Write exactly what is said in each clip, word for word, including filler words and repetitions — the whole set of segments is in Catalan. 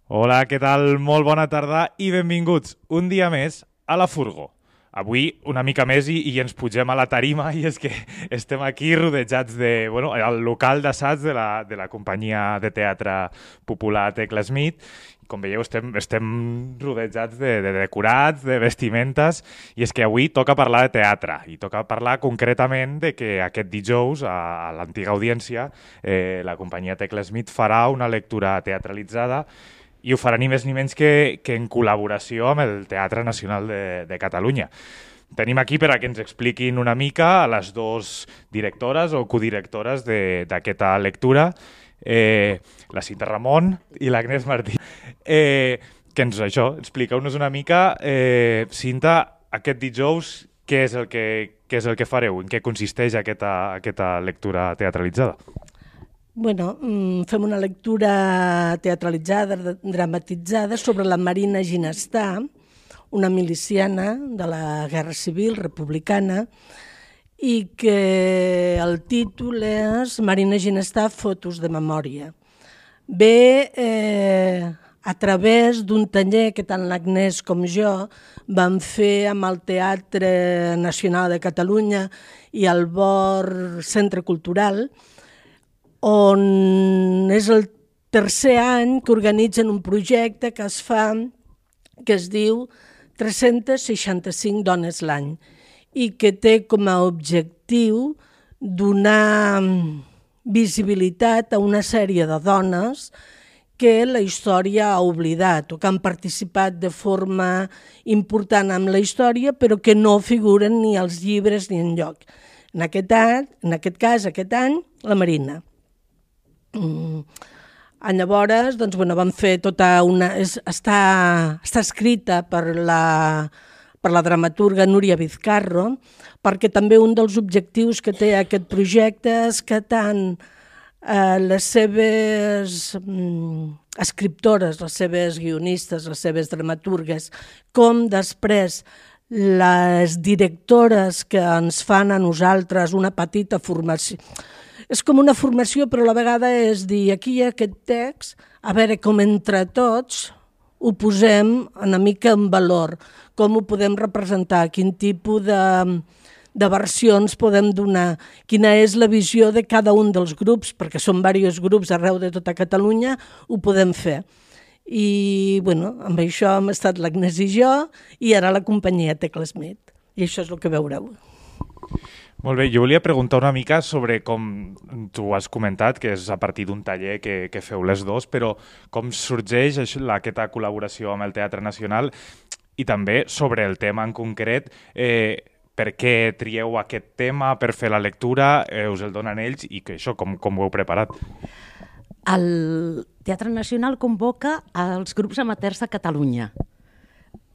Hola, què tal? Molt bona tarda i benvinguts un dia més a la Furgo. Avui una mica més i, i ens pugem a la tarima i és que estem aquí rodejats de, bueno, al local d'assaig de, la, de la companyia de teatre popular Tecla Smith. Com veieu, estem, estem rodejats de, de decorats, de vestimentes, i és que avui toca parlar de teatre, i toca parlar concretament de que aquest dijous, a, a l'antiga audiència, eh, la companyia Tecla Smith farà una lectura teatralitzada i ho farà ni més ni menys que, que en col·laboració amb el Teatre Nacional de, de Catalunya. Tenim aquí per a que ens expliquin una mica a les dues directores o codirectores d'aquesta lectura, eh, la Cinta Ramon i l'Agnès Martí. Eh, que ens, això, expliqueu-nos una mica, eh, Cinta, aquest dijous, què és el que, què és el que fareu? En què consisteix aquesta, aquesta lectura teatralitzada? Bueno, fem una lectura teatralitzada, dramatitzada, sobre la Marina Ginestà, una miliciana de la Guerra Civil republicana, i que el títol és Marina Ginestà, fotos de memòria. Ve eh, a través d'un taller que tant l'Agnès com jo vam fer amb el Teatre Nacional de Catalunya i el Bor Centre Cultural, on és el tercer any que organitzen un projecte que es fa, que es diu tres-centes seixanta-cinc dones l'any i que té com a objectiu donar visibilitat a una sèrie de dones que la història ha oblidat o que han participat de forma important en la història però que no figuren ni als llibres ni enlloc. En aquest, any, en aquest cas, aquest any, la Marina. Mm. Llavors, doncs, bueno, vam fer tota una... És, està, està escrita per la, per la dramaturga Núria Vizcarro, perquè també un dels objectius que té aquest projecte és que tant eh, les seves mm, escriptores, les seves guionistes, les seves dramaturgues, com després les directores que ens fan a nosaltres una petita formació. És com una formació, però a la vegada és dir, aquí hi ha aquest text, a veure com entre tots ho posem una mica en valor, com ho podem representar, quin tipus de, de versions podem donar, quina és la visió de cada un dels grups, perquè són diversos grups arreu de tota Catalunya, ho podem fer. I bueno, amb això hem estat l'Agnès i jo, i ara la companyia Tecla Smith, i això és el que veureu. Molt bé, jo volia preguntar una mica sobre com tu has comentat, que és a partir d'un taller que, que feu les dos, però com sorgeix això, aquesta col·laboració amb el Teatre Nacional i també sobre el tema en concret, eh, per què trieu aquest tema per fer la lectura, eh, us el donen ells i que això, com, com ho heu preparat? El Teatre Nacional convoca els grups amateurs de Catalunya.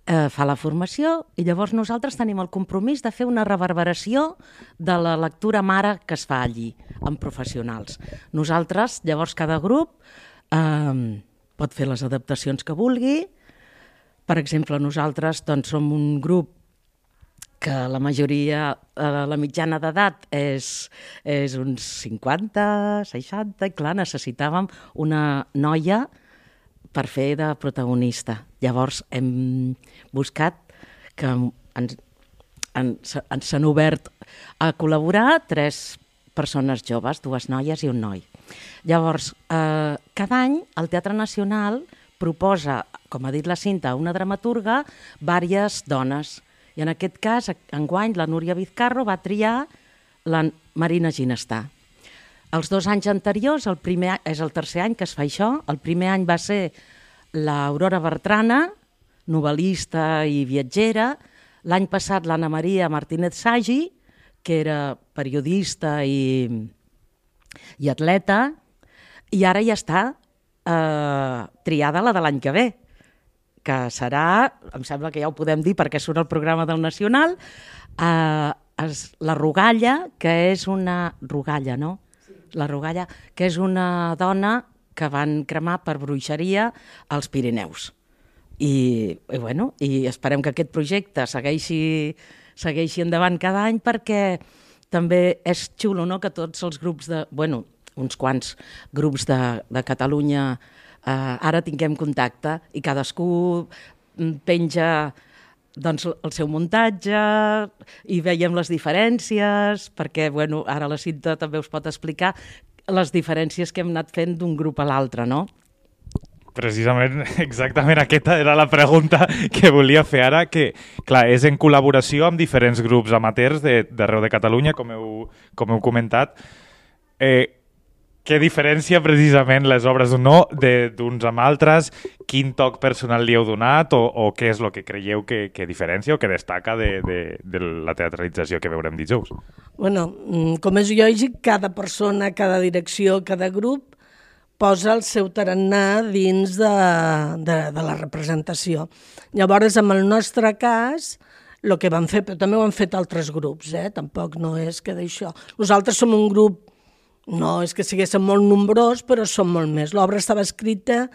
Eh, fa la formació i llavors nosaltres tenim el compromís de fer una reverberació de la lectura mare que es fa allí, amb professionals. Nosaltres, llavors cada grup eh, pot fer les adaptacions que vulgui. Per exemple, nosaltres doncs, som un grup que la majoria, eh, la mitjana d'edat és, és uns cinquanta, seixanta, i clar, necessitàvem una noia per fer de protagonista. Llavors hem buscat que ens, ens, ens han obert a col·laborar tres persones joves, dues noies i un noi. Llavors, eh, cada any el Teatre Nacional proposa, com ha dit la Cinta, una dramaturga, diverses dones. I en aquest cas, enguany, la Núria Vizcarro va triar la Marina Ginestà. Els dos anys anteriors, el primer, és el tercer any que es fa això, el primer any va ser l'Aurora Bertrana, novel·lista i viatgera, l'any passat l'Anna Maria Martínez Sagi, que era periodista i, i atleta, i ara ja està eh, triada la de l'any que ve, que serà, em sembla que ja ho podem dir perquè surt el programa del Nacional, eh, és la Rogalla, que és una... Rogalla, no? La Rogalla, que és una dona que van cremar per bruixeria als Pirineus. I, i, bueno, i esperem que aquest projecte segueixi, segueixi endavant cada any perquè també és xulo, no?, que tots els grups de... Bueno, uns quants grups de, de Catalunya Uh, ara tinguem contacte i cadascú penja doncs, el seu muntatge i veiem les diferències, perquè bueno, ara la Cinta també us pot explicar les diferències que hem anat fent d'un grup a l'altre, no? Precisament, exactament aquesta era la pregunta que volia fer ara, que clar, és en col·laboració amb diferents grups amateurs d'arreu de Catalunya, com heu, com heu comentat. Eh, Què diferència precisament les obres no d'uns amb altres? Quin toc personal li heu donat o, o què és el que creieu que, que diferencia o que destaca de, de, de la teatralització que veurem dijous? Bueno, com és lògic, cada persona, cada direcció, cada grup posa el seu tarannà dins de, de, de la representació. Llavors, en el nostre cas, el que vam fer, però també ho han fet altres grups, eh? Tampoc no és que d'això. Nosaltres som un grup, no és que siguéssim molt nombrós, però som molt més. L'obra estava escrita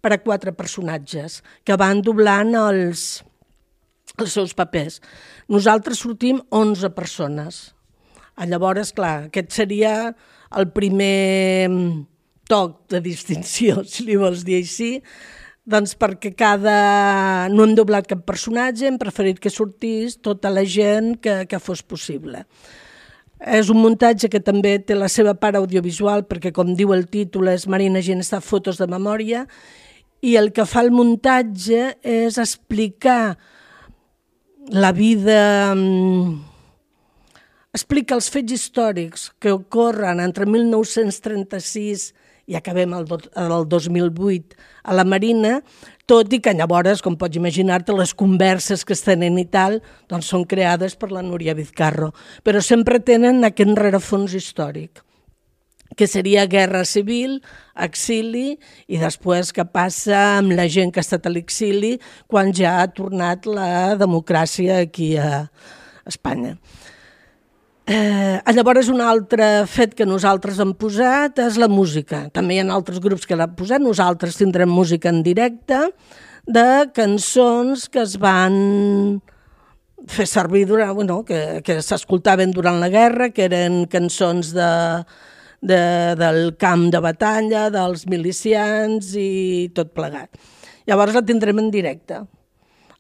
per a quatre personatges que van doblant els, els seus papers. Nosaltres sortim onze persones. Llavors, clar, aquest seria el primer toc de distinció, si li vols dir així, doncs perquè cada... no hem doblat cap personatge, hem preferit que sortís tota la gent que, que fos possible. És un muntatge que també té la seva part audiovisual, perquè, com diu el títol, és Marina Ginestà, fotos de memòria, i el que fa el muntatge és explicar la vida, explica els fets històrics que ocorren entre mil nou-cents trenta-sis i acabem el, el dos mil vuit a la Marina, tot i que llavors, com pots imaginar-te, les converses que es tenen i tal, doncs són creades per la Núria Vizcarro, però sempre tenen aquest rerefons històric, que seria guerra civil, exili, i després què passa amb la gent que ha estat a l'exili quan ja ha tornat la democràcia aquí a Espanya. Eh, llavors, un altre fet que nosaltres hem posat és la música. També hi ha altres grups que l'han posat. Nosaltres tindrem música en directe de cançons que es van fer servir durant, bueno, que, que s'escoltaven durant la guerra, que eren cançons de, de, del camp de batalla, dels milicians i tot plegat. Llavors la tindrem en directe.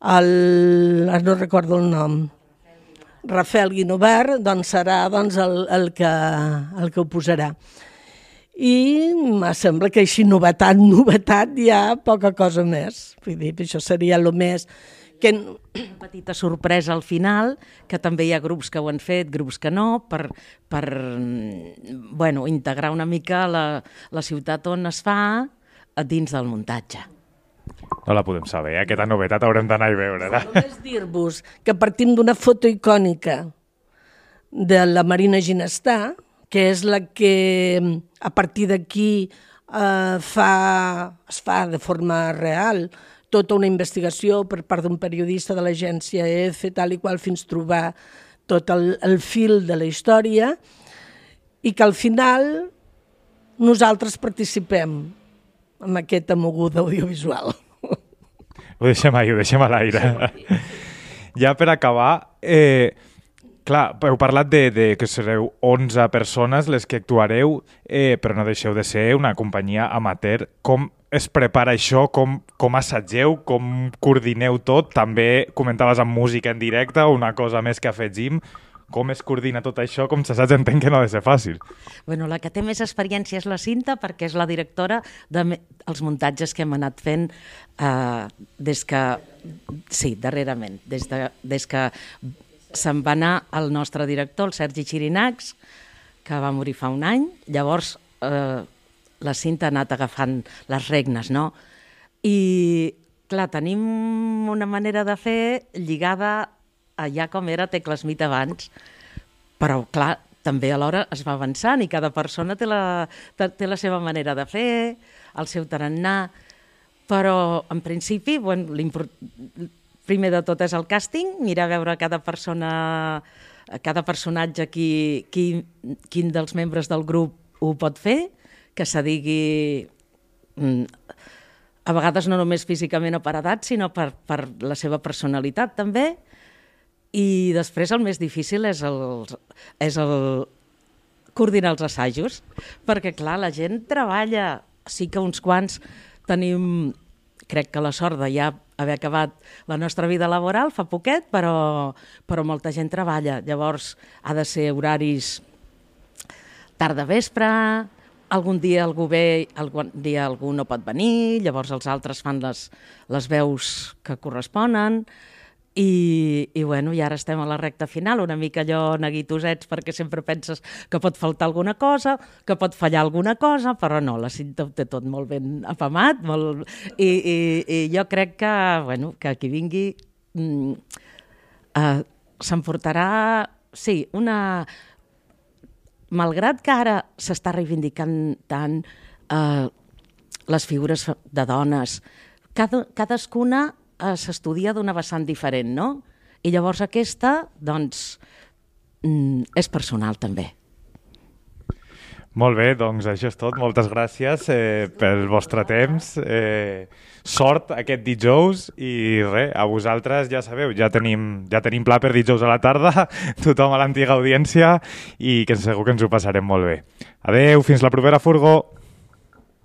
El, no recordo el nom. Rafael Guinovart, doncs serà doncs, el, el, que, el que ho posarà. I em sembla que així novetat, novetat, hi ha poca cosa més. Vull dir, això seria el més... Que... Una petita sorpresa al final, que també hi ha grups que ho han fet, grups que no, per, per bueno, integrar una mica la, la ciutat on es fa dins del muntatge. No la podem saber, eh? Aquesta novetat haurem d'anar a veure-la. Només dir-vos que partim d'una foto icònica de la Marina Ginestà, que és la que a partir d'aquí eh, fa, es fa de forma real tota una investigació per part d'un periodista de l'agència E F, tal i qual, fins trobar tot el, el fil de la història, i que al final nosaltres participem amb aquesta moguda audiovisual. Ho deixem ahí, ho deixem a l'aire. Ja per acabar, eh, clar, heu parlat de, de que sereu onze persones les que actuareu, eh, però no deixeu de ser una companyia amateur. Com es prepara això? Com, com assageu? Com coordineu tot? També comentaves amb música en directe, una cosa més que afegim. Com es coordina tot això? Com s'assaig, entenc que no ha de ser fàcil. Bueno, la que té més experiència és la Cinta, perquè és la directora dels muntatges que hem anat fent eh, des que... Sí, darrerament. Des, de, des que se'n va anar el nostre director, el Sergi Xirinacs, que va morir fa un any. Llavors, eh, la Cinta ha anat agafant les regnes, no? I, clar, tenim una manera de fer lligada allà com era Tecla Smith abans, però clar, també alhora es va avançant i cada persona té la, té la seva manera de fer, el seu tarannà, però en principi, bueno, primer de tot és el càsting, mirar a veure cada persona, cada personatge qui, qui, quin dels membres del grup ho pot fer, que se digui a vegades no només físicament o per edat, sinó per, per la seva personalitat també. I després el més difícil és el, és el coordinar els assajos, perquè clar, la gent treballa, sí que uns quants tenim, crec que la sort de ja haver acabat la nostra vida laboral fa poquet, però, però molta gent treballa. Llavors ha de ser horaris tarda-vespre, algun dia algú ve, algun dia algú no pot venir, llavors els altres fan les, les veus que corresponen, i, i, bueno, i ara estem a la recta final, una mica allò neguitosets, perquè sempre penses que pot faltar alguna cosa, que pot fallar alguna cosa, però no, la Cinta ho té tot molt ben apamat, molt... I, i, i jo crec que, bueno, que qui vingui mm, uh, s'emportarà, sí, una... Malgrat que ara s'està reivindicant tant uh, les figures de dones, cada, cadascuna uh, s'estudia d'una vessant diferent, no? I llavors aquesta, doncs, mm, és personal també. Molt bé, doncs això és tot. Moltes gràcies eh, pel vostre temps. Eh, sort aquest dijous i res, a vosaltres ja sabeu, ja tenim, ja tenim pla per dijous a la tarda, tothom a l'antiga audiència, i que segur que ens ho passarem molt bé. Adeu, fins la propera furgó!